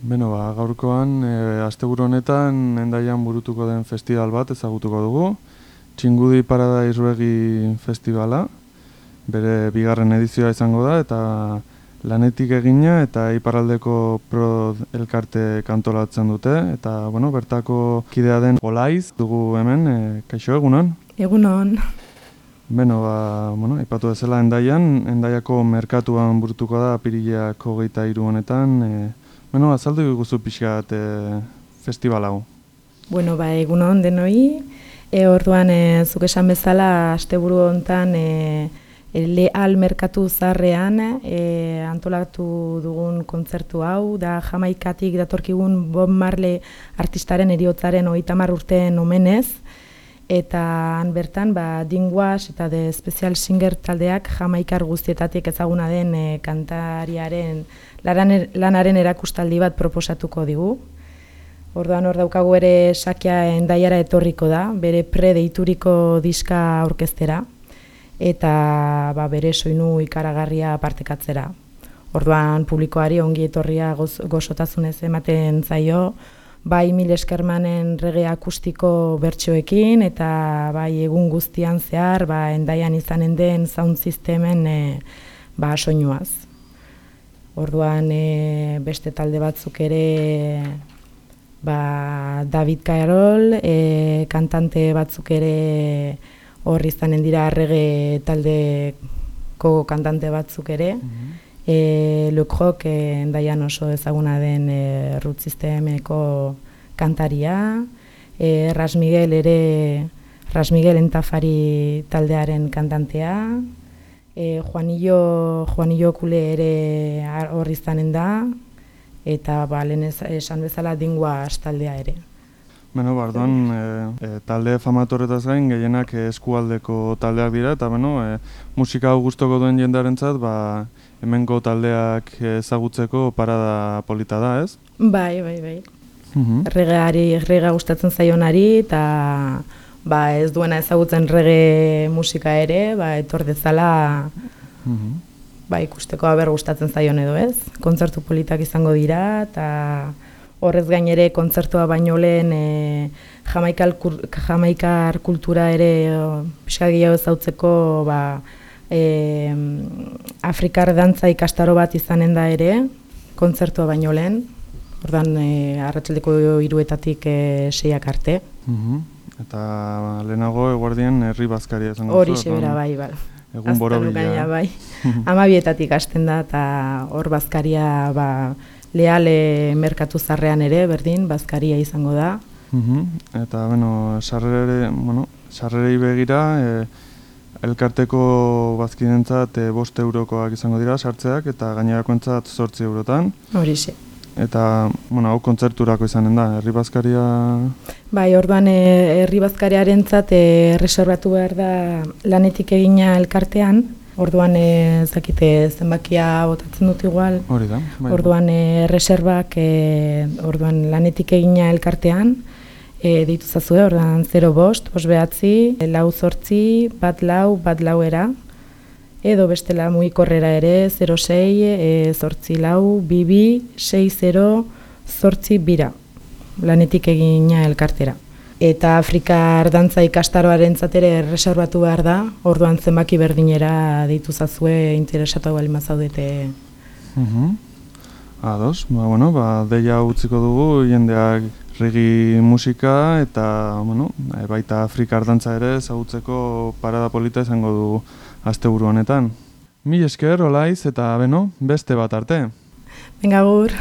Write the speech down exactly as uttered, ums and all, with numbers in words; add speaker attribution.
Speaker 1: Beno, ba, gaurkoan, e, asteburu honetan Hendaian burutuko den festival bat ezagutuko dugu. Txingudi Paradise Reggae Festivala, bere bigarren edizioa izango da, eta lanetik egina eta iparraldeko Prod elkarte kantolatzen dute, eta bueno, bertako kidea den Olaiz dugu hemen, e, kaixo egunon?
Speaker 2: Egunon.
Speaker 1: Beno, ba, bueno, aipatu bezala Hendaian, Hendaiako merkatuan burutuko da apirilak hogeita hiru honetan. E, bueno, azaldu guzu pixkat e, festival hau.
Speaker 2: Bueno, ba, egunon denoi. E, orduan, e, zuk esan bezala, asteburu hontan e, Leal merkatu zaharrean e, antolatu dugun kontzertu hau, da Jamaikatik datorkigun Bob Marley artistaren heriotzaren hogeita hamar urteen omenez, eta han bertan ba, Dingwash eta The Special Singer taldeak Jamaikar guztietatik ezaguna den e, kantariaren laran, lanaren erakustaldi bat proposatuko digu. Orduan hor daukagu ere Sakia Hendaiara etorriko da, bere pre-deituriko diska aurkeztera, eta ba, bere soinu ikaragarria partekatzera. Orduan publikoari ongi etorria goz, gozotasunez ematen zaio, bai Mil Eskermanen reggae akustiko bertsoekin, eta bai egun guztian zehar ba, Hendaian izanen den sound systemen e, ba, soinuaz. Orduan e, beste talde batzuk ere ba, David Carroll, e, kantante batzuk ere hor izanen dira reggae taldeko kantante batzuk ere. Mm-hmm. e, Le Croc e, Hendaian oso ezaguna den e, Root Systemeko kantaria, e, Ras Miguel ere, Ras Miguel Entafari taldearen kantantea, e, Juanillo, Juanillo Kule ere hor izanen da, eta ba, lehen esan bezala Dingwash taldea ere.
Speaker 1: Beno, bardoan, e, e, talde famatorretaz gain, gehienak eskualdeko taldeak dira, eta beno, e, musika hau gustoko duen jendearentzat, ba, hemengo taldeak ezagutzeko parada polita da, ez?
Speaker 2: Bai, bai, bai.
Speaker 1: Uh-huh.
Speaker 2: Reggaeari, reggae gustatzen zaionari, eta ba, ez duena ezagutzen reggae musika ere, ba, etor dezala uh-huh. ba, ikusteko aber gustatzen zaion edo, ez? Kontzertu politak izango dira, eta horrez gain ere kontzertua baino lehen e, Jamaikar, Jamaikar kultura ere pixka gehiago ezautzeko ba, e, Afrikar dantza ikastaro bat izanen da ere, kontzertua baino lehen, ordan e, arratsaldeko hiruetatik e, seiak arte.
Speaker 1: Uh-huh. Eta lehenago eguerdien herri bazkaria izango zu.
Speaker 2: Hori sebera bai, bai.
Speaker 1: Egun borobila.
Speaker 2: Bai. Hamabietatik hasten da, eta hor bazkaria ba, Leale merkatu zarrean ere, berdin, bazkaria izango da.
Speaker 1: Uh-huh. Eta, bueno, sarrere, bueno, sarrerei begira, e, elkarteko bazkidentzat e, bost eurokoak izango dira, sartzeak, eta gainerakoentzat zortzi eurotan.
Speaker 2: Horixe.
Speaker 1: Eta, bueno, hau kontzerturako izanen da, herri bazkaria...
Speaker 2: Bai, orduan e, herri bazkariarentzat e, reserbatu behar da lanetik egina elkartean. Orduan ez dakite zenbakia botatzen dut igual.
Speaker 1: Hori da. Bai.
Speaker 2: Orduan e, reserbak e, orduan lanetik egina elkartean e, deitu zazue, orduan zero bost, bost behatzi, lau zortzi, bat lau, bat lauera. Edo bestela mugikorrera ere zero sei, e, zortzi lau, bibi, sei zero, zortzi bira. Lanetik egina elkartera. Eta Afrikar dantza ikastaroaren zatere reserbatu behar da, orduan zenbaki berdinera deitu zazue interesatu bali mazaudete.
Speaker 1: Uh-huh. Ados, ba, bueno, ba, deia utziko dugu, jendeak reggae musika eta bueno, baita Afrikar dantza ere ezagutzeko parada polita izango du asteburu honetan. Mil esker, Olaiz, eta beno, beste bat arte.
Speaker 2: Venga, gur.